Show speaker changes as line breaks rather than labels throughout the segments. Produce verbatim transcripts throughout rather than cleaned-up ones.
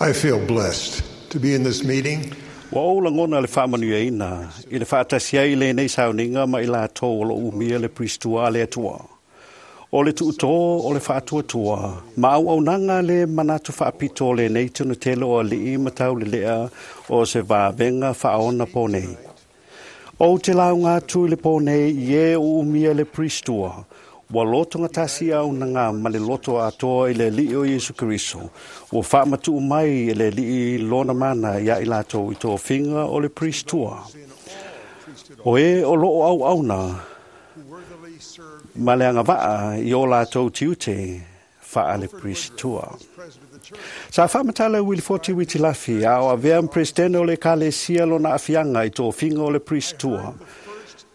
I feel blessed to be in this meeting.
Ua ou lagona le faamanuiaina i le faatasi ai i lenei sauniga ma i latou o loo umia le puisitua a le Atua. O le tuutō o le faatuatua, ma auaunaga le manatu faapito o lenei tonutele o alii ma taulelea o se vavega faaona po nei. Ou te lauga atu i le po nei i e o umia le puisitua, ua lotogatasi auaunaga ma le loto atoa i le Alii o Iesu Keriso, ua faamatuu mai e le Alii lona mana ia i latou i tofiga o le puisitua. O e o loo auauna ma le agavaa i o latou tiute faale puisitua. Sa faamatala e Wilifoti Witilafi a o avea ma Peresetene o le Ekalesia lona aafiaga i tofiga o le puisitua.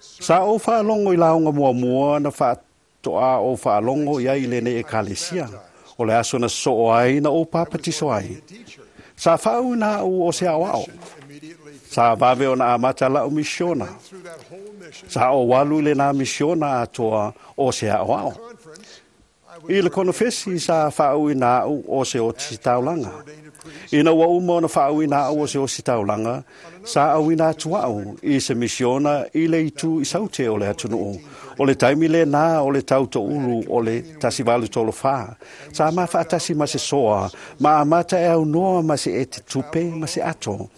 Sa ou faalogo i lauga muamua na faatoa ou faalogo i ai i lenei Ekalesia. O le aso na sosoo ai na ou papatiso ai. Sa faauiina au o se aoao. Sa vave ona amata lau misiona. Sa ou alu i lenā misiona atoa o se aoao. I le konofesi sa faauiina au o se ositaulaga. Ina ua uma ona faauiina au o se ositaulaga, sa auina atu au i se misiona i le itu i saute o le atunuu. O le taimi lenā o le tau toulu o le tasi valu tolu fa. Sa mafaatasi ma se soa, ma amata e aunoa ma se ete tupe ma se ato.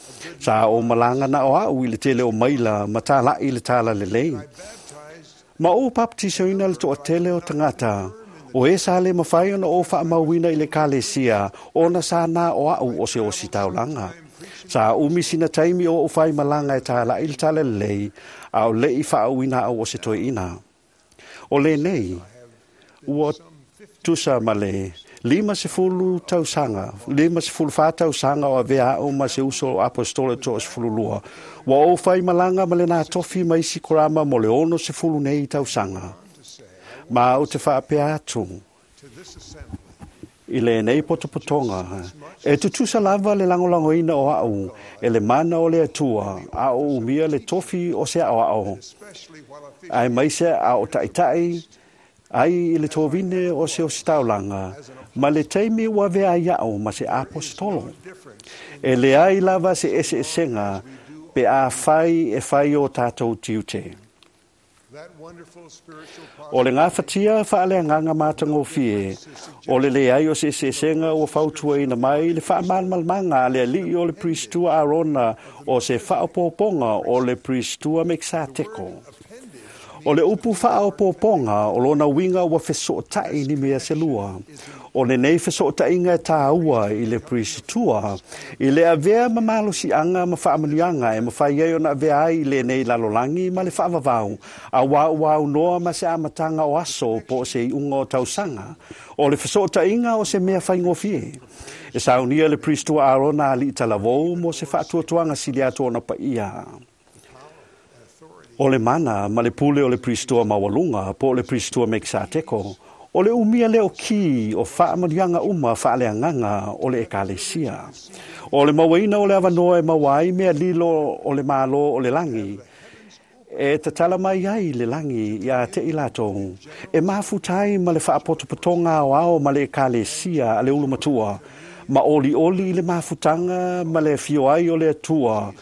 Sa ou malaga na o au i le tele o maila ma talai le tala lelei. Ma ou baptisoina le toatele o tagata. O e sa le mafai ona ou faamauina i le ekalesia, ona sa na o au o se ositaulaga. Sa umi sina taimi o ou faimalaga e talai le tala lelei, a o lei faauiina au o se toeaina. O lenei, ua tusa ma le lima sefulu tausaga, lima sefulu fa tausaga o avea au ma se uso o apostolo toasefululua. Ua ou faimalaga ma lenā tofi ma isi korama mo le ono sefulu nei tausaga. Ma ou te faapea atu i lenei potopotoga, e tutusa lava le lagolagoina o au e le mana o le Atua, a o umia le tofi o se aoao, aemaise a o taitai ai i le tovine o se ositaulaga, ma le taimi ua avea ai au ma se apostolo. E leai lava se eseesega pe afai e fai o tatou tiute. O le gafatia faaleagaga matagofie, o le leai o se eseesega ua fautuaina mai le faamalamalamaga a le alii o le puisitua Arona o se faaopoopoga o le puisitua Mekisateko. O le upu faaopoopoga o lona uiga ua fesootai ni mea se lua. O lenei fesootaiga e tāua i le puisitua, i le avea ma malosiaga ma faamanuiaga e mafai ai ona avea ai i lenei lalolagi ma le faavavau, auā ua aunoa ma se amataga o aso po o se iuga o tausaga. O le fesootaiga o se mea faigofie. E saunia le puisitua Arona alii talavou mo se faatuatuaga sili atu ona paia. O le mana ma le pule o le puisitua maualuga po o le puisitua Mekisateko, o le umia lea o ki o faamanuiaga uma faaleagaga o le ekalesia. O le mauaina o le avanoa e maua ai mea lilo o le malo o le lagi, e tatala mai ai le lagi ia te i latou, e mafuta ai ma le faapotopotoga aoao ma le ekalesia a le ulumatua, ma olioli i le mafutaga ma le afio ai o le Atua,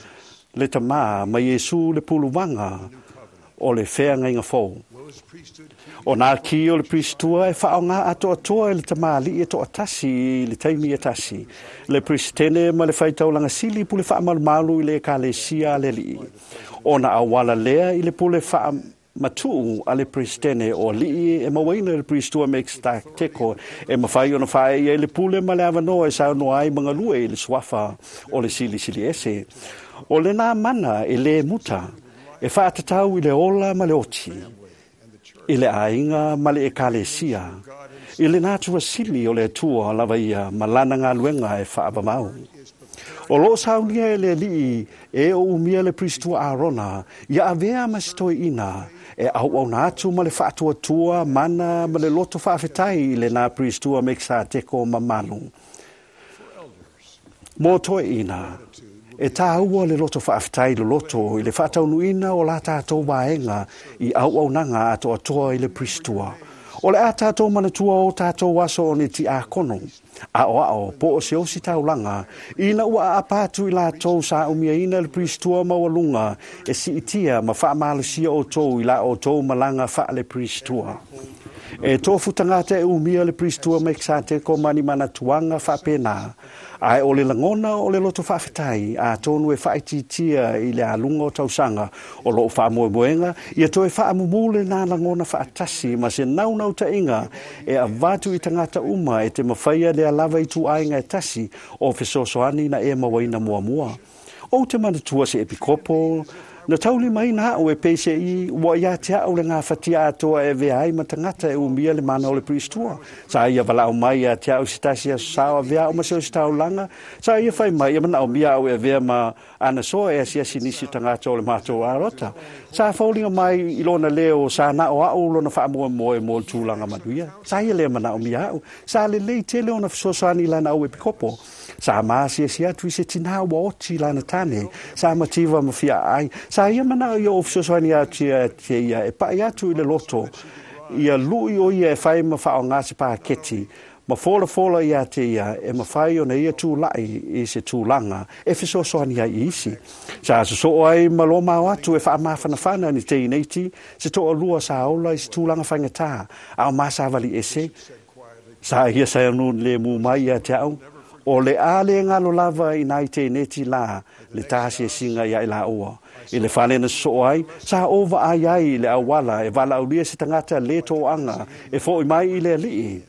le Tamā ma Iesu le puluvaga o le feagaiga fou. O nā ki o le puisitua e faaaogā atoatoa e le tamalii e toatasi i le taimi e tasi, le Peresetene ma le faitaulaga sili pule faamalumalu i le ekalesia a le alii. Ona auala lea i le pule faamatuu a le Peresetene o alii e mauaina e le puisitua Mekisateko e mafai ona faaee ai le pule ma le avanoa e saunoa ai ma galue i le suafa o le Silisili Ese. O lenā mana e lē muta, e faatatau i le ola ma le oti, i le aiga ma le ekalesia, i le natua sili o le Atua lava ia ma lana galuega e faavavau. O loo saunia e le Alii e o umia le puisitua Arona, ia avea ma se toeaina, e auauna atu ma le faatuatua mana ma le loto faafetai i lenā puisitua Mekisateko mamalu. Mo toeaina, e tāua le loto faafetai loloto i le faataunuuina o la tatou vaega i auaunaga atoatoa i le puisitua. O le a tātou manatua o tātou aso o ni ti ākono, a o ao, po o se osi taulanga, ina ua a pātu i lātou sa umia ina le pristua maualunga, e si itia ma whaamalasia o tō i la o tō malanga wha le pristua. E tō tangata e umia le pristua me te ko mani mana tuanga whapena. Ai o le langona o le loto whaafetai, a tōnu e whaititia i le alunga o tausanga, o loo whaamoemoenga, ia toe whaamumule nā langona whaatasi, ma se naunau tainga, e avatu i tangata uma e te mawhaia le alava i tuainga e tasi, o fesosoani na e mawaina muamua. O te manatua se epikopo, na tauli mai nā o e P C I, ua ia te au le ngā whatia atoa e vea ai matangata e umia le mana o le pristua. Sa ia walau mai ia te au sitasi a sao a vea o maseo si taulanga. Sa ia whai mai ia mana o mia au e vea ma anasoa e asiasi nisi tangata o le mātou arota. Sa faulinga mai i lona leo sa na o au lona whaamoe moe mo le tūlanga manuia. Sa ia lea mana o mia au. Sa le lei tele ona fesoasoani lana au e pikopo. Sa maasiasi atu i se tina ua oti lana tane. Sa mativa mawhia ai. Sa ia mana ia o fesoasoani atu ia te ia e pai atu i le loto. Ia lui o ia e whai ma whao ngā se pāketi. Ma fola fola ia te ia e mawhai o na ia tūlai i se tūlanga e fesoasoani ai i isi. Sa soso ai ma lo mao atu e whaamawhanawhana ni te ineiti se toa lua sa ola i se tūlanga whangatā. Ao māsawali ese. Sa ia sa anu le mu mai ia te au. O le a le ngalo lava i nai te neti la, le tasi e singa ia i la oa. I le whalena so ai, sa ova ai ai le awala, e wala aulia se tangata le tō anga, e fo i mai i le alii.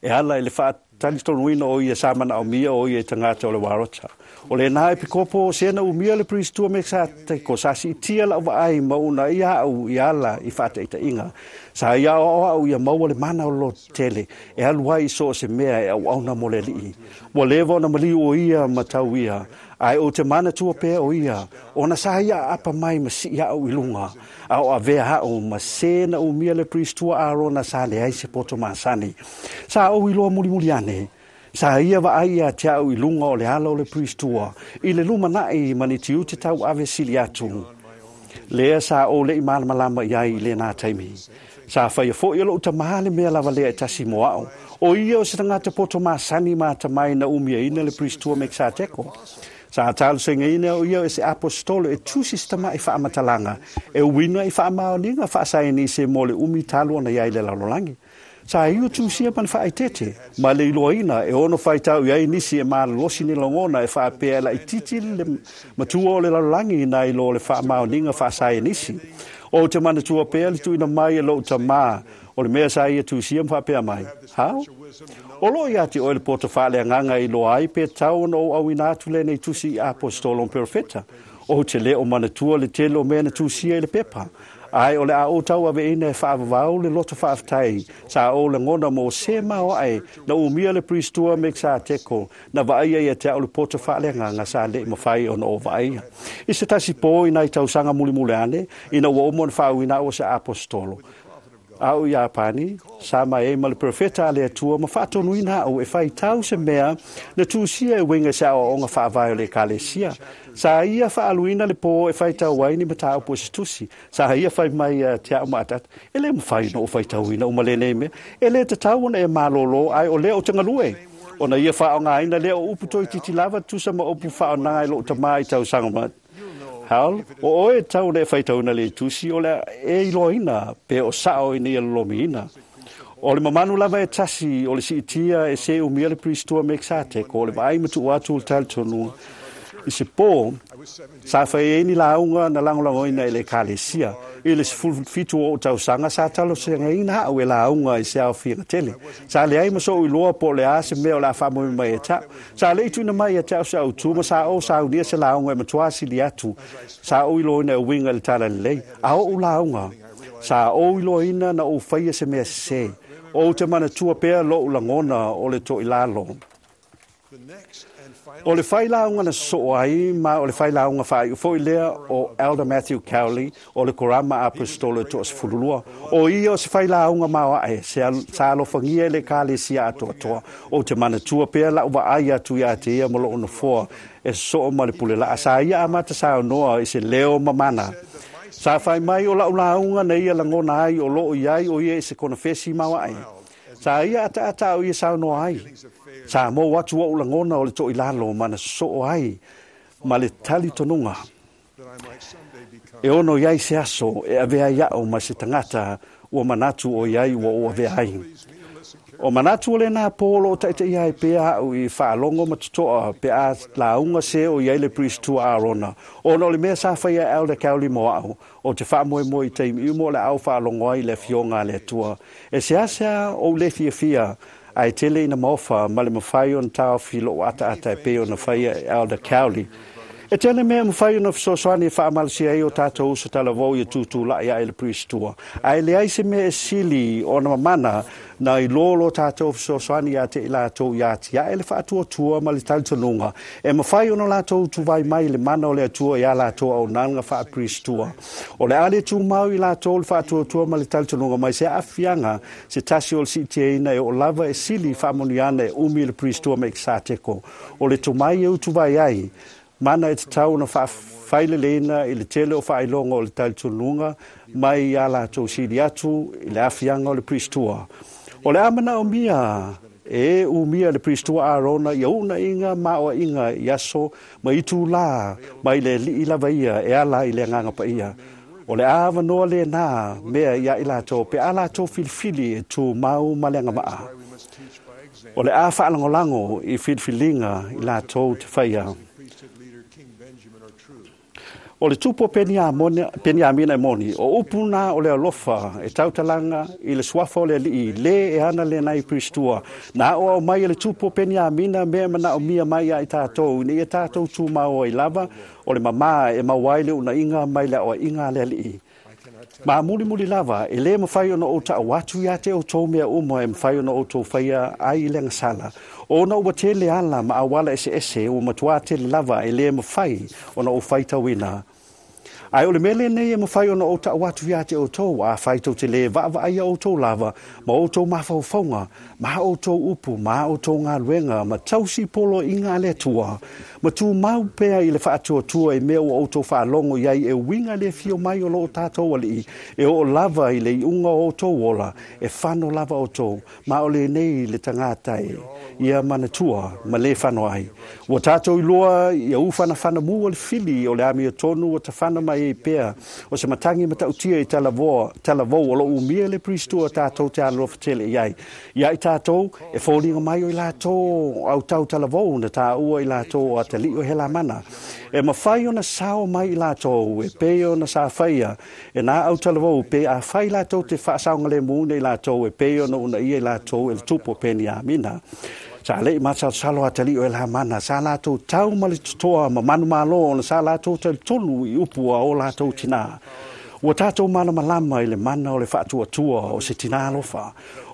E ala i le whaatalistonuina o ia samana o mia o ia tangata o le warota. O le nā e pikopo, sena umia le pristua me sa teko, sa si tia la ua ai mauna ia au i ala i whaataita inga. Sa ia o au ia maua le mana o lo tele, e alu ai so se mea e au auna mo le lii. Ua lewa ona maliu o ia matau ia, ai o te mana tua pea o ia, ona sa ia apa mai ma si au i lunga, au a vea au ma sena umia le pristua arona sa le ai se poto masani. Sa au i loa muli muli ane, sa ia wa ai ia te au i lunga o le ala o le pristua, i le luma nai mani tiute tau ave sili atu. Lea sa o le i malamalama i ai i le nā taimi. Sa whaia fo ia lou tamahale mea lava lea e tasi mo au. O ia o se tangata poto masani mā tamai na umia ina le pristua me sa teko. Sa talo senga ina o ia e se apostolo e tusi se tamai whaamatalanga. E uina i whaamaoninga whaasaini se mo le umi talo na iai le lalolagi. Sa iu tusia man whaitete, ma le iloaina e ono whaitau iai nisi e malalosi ni langona e whaapea la ititi le matua o le lalolagi na i lo le whaamaoninga whaasaini nisi. O te manatua pea le tuina mai e lou tamā, o le mea sa ia tusia mwhapea mai. Hao? O lo ia te oe le poto whaale anganga i loa ai pe tau ona o au ina atu le nei tusi i apostolo perofeta. O te le o manatua le tele o mea na tusia i le pepa. Ai o le a o tau ave ina e whaavavau le loto whaaftai, sa o le ngona mo se mao ai, na umia le pristua me sa teko, na vaia ia te au le poto whaale nganga sa le mawhai ona o vaia. I se tasi pō ina i tausanga muli muli ane, ina ua omo na whau ina o se apostolo. Au i Apani, sa mai e ma le profeta a le atua, ma whaatonu ina au e whai tau se mea, na tūsia e winga se ao onga whaavai o le kalesia. Sa ia whaaluina le pō e whai tau ai ni matau po se tusi. Sa ia whai mai uh, te au maatat, e le mwhai no o whai tau ina uma le nei mea, e le te tau ona e malolo ai o le o te ngalue. Ona ia whaonga aina le o upu toi titi lava tusa ma upu whaonanga i lo tamai tau sanga. Haul, o oe tau le whaitauna le tusi o le e iloina pe o sao i nia lomiina. O le mamanu lava e tasi o le siitia e se umia le pristua me sate ko le vai matu atu le talitonu. I se pō, sa whai e ni launga na langolangoina i le kalesia. I le fitu o tausanga sa talo se ngaina au e launga i se au whianga tele. Sa le ai maso i loa po le a se mea o la whamui mai e tau. Sa le ituina mai e tau sa au tuma sa o sa unia se launga e matua sili atu. Sa o i loina e winga le tala lelei. A o u launga. Sa o i loina na o whaia se mea se. O te mana tua pea lo ulangona o le to i lalo. O le whailaunga na so ai, ma o le whailaunga whai ufo i lea o Elder Matthew Cowley o le Korama Apostolo to Sefululua. O ia o se whailaunga maua e, se sa alofangia le kalesia atoa toa. O te manatua pea la ua ai atu ia te ia mo loo nofoa e soo ma le pule la. Sa ia amata sa noa i se leo mamana. Sa fai mai o lau lauga na ia lagona ai o loo i ai o ia i se konefesi mauae. Sa ia ataata o ia saunoa ai. Sa mou atu ou lagona o le toilalo ma na sosoo ai ma le talitonuga. E ono i ai se aso e avea ai au ma se tagata ua manatu o i ai ua ou avea ai. O manatu o lena pō lo taitaia ai pea au i faalogo ma totoa pe a lauga se o i ai le Priest Arona. Ona o le mea sa faia e Elder Cowley mo au, o te faamoemoe i taimi uma o le au faalogo ai le afioga a le Atua. E seasea ou le fiafia ae tele ina maofa ma le mafai ona taofi lou ataata e pei ona faia e Elder Cowley. E tele mea mafai ona fesoasoani e faamalosia ai o tatou uso talavou ia tutulai ae le Priest-tua. Ae leai se mea e sili ona mamana na i lo lo tatou fesoasoani ia te i latou ia atiae le faatuatua ma le talitonuga. E mafai ona latou tuvai mai le mana o le Atua ia latou auaunaga faa-Priest-tua. O le a le tumau i latou le faatuatua ma le talitonuga mai se aafiaga se tasi o le siitiaina e oo lava e sili faamanuiana e umi le Priest-tua Mekisateko. O le tomai e utuvai ai, mana e tatau ona faafaileleina i le tele o faailoga o le talitonuga mai ia latou sili atu i le aafiaga o le Priest-tua. O le a manaomia e umia le Priest-tua Arona ia uunaiga ma aoaiga i aso ma itulā mai le alii lava ia e ala i le agaga paia. O le a avanoa lena mea ia i latou pe a latou filifili e tumau ma le agavaa. O le a faalagolago i filifiliga i latou te faia. O le tupu o Peniamina e moni, o upu na o le alofa e tautalaga i le suafa o le alii, le e ana lenai i Priest-tua. Na o au mai e le tupu o Peniamina mea manaomia mai ia i tatou, ina ia tatou tumau ai lava, o le mamā e maua ai le unaiga mai le aoaiga a le alii. Ma mulimuli lava, e le mafai ona ou ta'au atu ia te outou mea uma e mafai ona outou faia ai i le agasala. Ona ua tele ala ma auala eseese ua matuā tele lava e le mafai ona ou faitauina. Ae o le mea lenei e mafai ona ou ta'au atu ia te outou, afai tou te le vaavaaia outou lava, ma outou mafaufauga, ma outou upu, ma outou galuega, ma tausi poloaiga a le Atua, ma tumau pea i le faatuatua i mea ua outou faalogo i ai e uiga le afio mai o loo tatou alii, e oo lava i le iuga o outou ola, e fano lava outou, ma o lenei le tagata e ia manatua ma le fano ai. Ua tatou iloa ia ufanafana mu o le fili o le amiotonu ua tafana mai ai pea o se matagi matautia i talavoa, talavou o loo umia le Priest-tua tatou te alolofa tele i ai. Ia i tatou e foliga mai o i latou autau talavou na taua i latou o atalii o Helamana. E mafai ona sao mai i latou e pei ona sa faia e nā autalavou pe a fai latou te faasaogalemuina i latou e pei ona uunaia i latou e le tupu o Peniamina. Sa lei masalosalo atalii o Helamana, sa latou tau ma le totoa ma manumalo ona sa latou talitonu i upu a o latou tinā. Ua tatou malamalama i le mana o le faatuatua o se tinā alofa.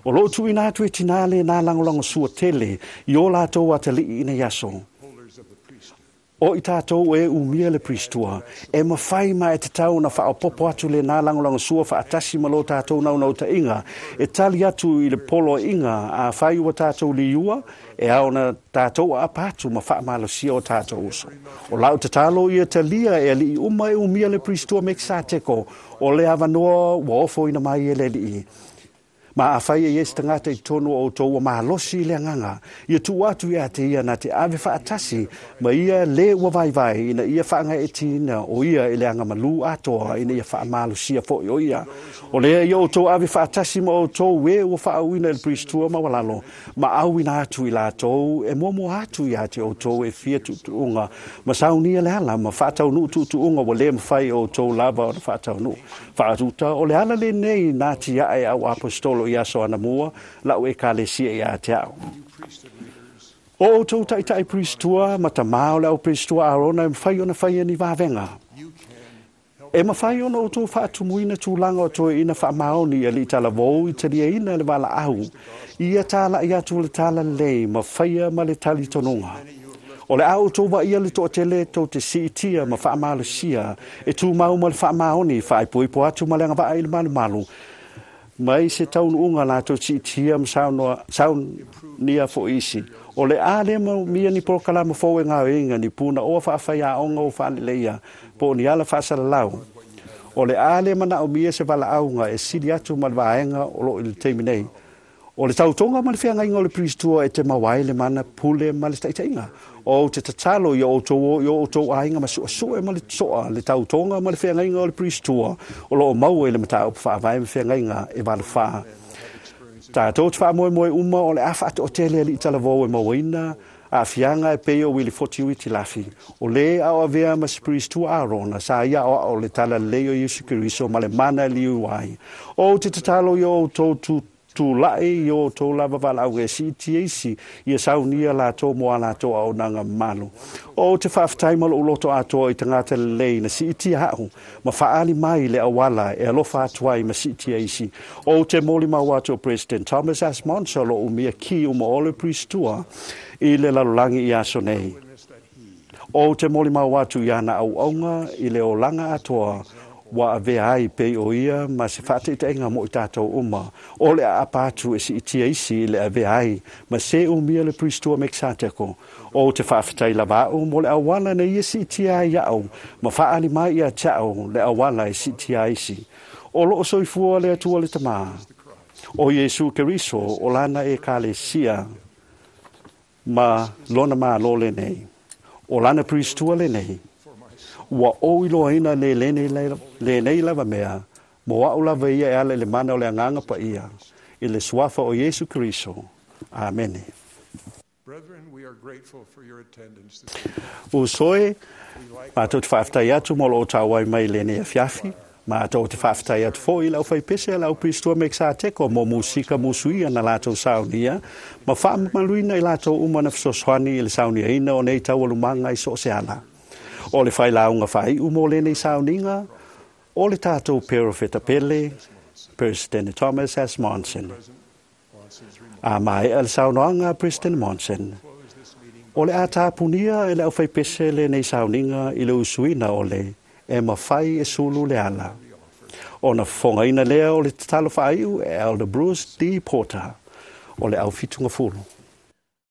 O loo tuuina atu e tinā lenā lagolagosua tele i o latou atalii ina ia aso. O i tatou e umia le Priest-tua, e mafai ma e tatau ona faaopoopo atu lenā lagolagosua faatasi ma lo tatou naunautaiga, e tali atu i le poloaiga afai ua tatou liua, e ao ona tatou aapa atu ma faamalosia o tatou uso. O lau tatalo ia talia e alii uma e umia le Priest-tua Mekisateko, o le avanoa ua ofoina mai e le alii. Ma afai e i ai se tagata i totonu o outou ua malosi i le agaga, ia tuu atu ia te ia na te ave faatasi ma ia le ua vaivai ina ia faagaeetia o ia i le agamalu atoa ina ia faamalosia foi o ia. O lea ia outou ave faatasi ma outou e ua faauuina i le Priest-tua maualalo, ma auina atu i latou e muamua atu ia te outou e fia tuutuuga, ma saunia le ala ma faataunuu tuutuuga ua le mafai e outou lava ona faataunuu. Faatuta o le ala lenei na tiae au aposetolo i aso anamua lau ekalesia ia te au. O outou taitai Priest-tua ma tamā o le au Priest-tua Arona e mafai ona faia ni vavega. E mafai ona outou faatumuina tulaga o toeaiina faamaoni i alii talavou i taliaina le valaau. Ia talai atu le talalelei ma faia ma le talitonuga. O le a outou vaaia le toatele tou te siitia ma faamalosia e tumau ma le faamaoni faaipoipo atu ma le agavaa i le malumalu. Mai se taunuuga latou siitia ma saunoa, saunia foi isi. O le a le manaomia ni polokalama fou e gaoioiga ni punaoa faafaiaoga o faaleleia po o ni ala faasalalau. O le a le manaomia se valaauga e sili atu ma le vaega o loo i le taimi nei. O le tautoga ma le feagaiga o le Priestua e te maua ai le mana pule ma le taitaiga. O te tatalo ia outou o i o outou aiga ma suesue ma le toa le tautoga ma le feagaiga o le Priestua o loo maua i le mataupu faavae ma feagaiga e valu fa. Tatou te faamoemoe uma o le a faatoatele alii talavou e mauaina aafiaga e pei o Wilifoti Uitilafi, o lē aoavea ma se Priestua Arona sa ia aoao le talalelei o Iesu Keriso ma le mana e liu ai. Ou te tatalo ia outou tu tulai i o outou lava valaauga e siitia isi ia saunia latou mo a latou auaunaga mamalu. Ou te faafetai ma lou loto atoa i tagata lelei na siitia a'u ma faaali mai le auala e alofa atu ai ma siitia isi. Ou te molimau atu o President Thomas S. Monson o loo umia ki uma o le Priestua i le lalolagi i aso nei. Ou te molimau atu i ana auauga i le olaga atoa ua avea ai pei o ia ma se faataitaiga mo i tatou uma. O le aapa atu e siitia isi i le avea ai ma se umia le Priestua Mekisateko. Ou te faafetai lava a'u mo le auala na ia siitia ai iaʻu ma faaali mai ia te a'u le auala e siitia ai isi. O loo soifua le Atua le Tamā, o Iesu Keriso o lana Ekalesia ma lona Malo lenei. O lana Priestua lenei. Ua ou iloaina le lenei, lenei lava mea, mo a'u lava ia e ala i le mana o le Agaga Paia, i le suafa o Iesu Keriso. Amene.
Brethren, we are grateful for your attendance this evening.
Uso e, matou te faafetai atu mo loo tauai mai lenei afiafi. Matou te faafetai atu foi i le aufaipese a le au Priestua Mekisateko mo musika musuia na latou saunia, ma faamamaluina i latou uma na fesoasoani i le sauniaina o nei taualumaga i so o se ala. O le failauga faaiu mo lenei sauniga, o le tatou perofeta pele, President Thomas S. Monson. A maea le saunoaga a President Monson, o le a tapunia e le aufaipese lenei sauniga i le usuina o le e mafai e sulu le ala. Ona fofogaina lea o le tatalo faaiu e Elder Bruce D. Porter o le au fitugafulu.